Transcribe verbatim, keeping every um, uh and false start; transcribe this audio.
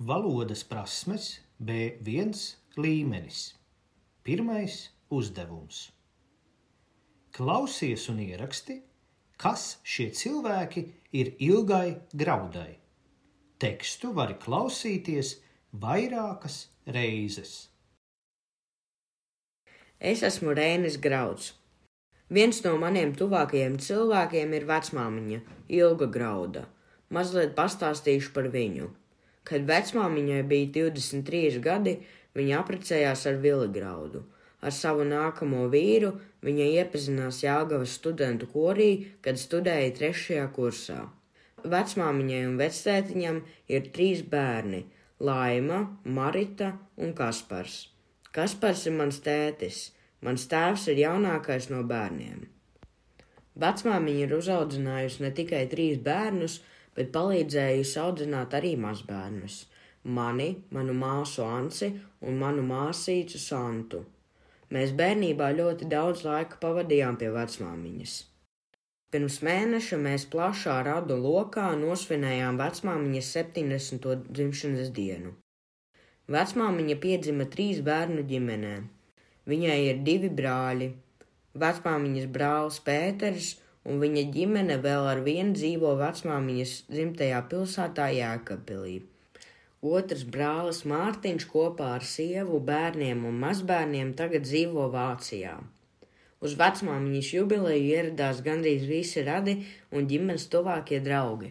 Valodas prasmes B viens līmenis. Pirmais uzdevums. Klausies un ieraksti, kas šie cilvēki ir Ilgai Graudai. Tekstu vari klausīties vairākas reizes. Es esmu Reinis Grauds. Viens no maniem tuvākajiem cilvēkiem ir vecmāmiņa, Ilga Grauda. Mazliet pastāstīšu par viņu. Kad vecmāmiņai bija divdesmit trīs gadi, viņa apprecējās ar Vili Graudu. Ar savu nākamo vīru viņa iepazinās Jelgavas studentu korī, kad studēja trešajā kursā. Vecmāmiņai un vectētiņam ir trīs bērni – Laima, Marita un Kaspars. Kaspars ir mans tētis. Mans tēvs ir jaunākais no bērniem. Vecmāmiņa ir uzaudzinājusi ne tikai trīs bērnus, bet palīdzējusi audzināt arī mazbērnus – mani, manu māsu Ansi un manu māsīcu Santu. Mēs bērnībā ļoti daudz laika pavadījām pie vecmāmiņas. Pirms mēneša mēs plašā radu lokā nosvinējām vecmāmiņas septiņdesmito dzimšanas dienu. Vecmāmiņa piedzima trīs bērnu ģimenē. Viņai ir divi brāļi, vecmāmiņas brālis Pēters un viņa ģimene vēl ar vienu dzīvo vecmāmiņas dzimtajā pilsētā Jēkabpilī. Otrs brālis Mārtiņš kopā ar sievu, bērniem un mazbērniem tagad dzīvo Vācijā. Uz vecmāmiņas jubileju ieradās gandrīz visi radi un ģimenes tuvākie draugi.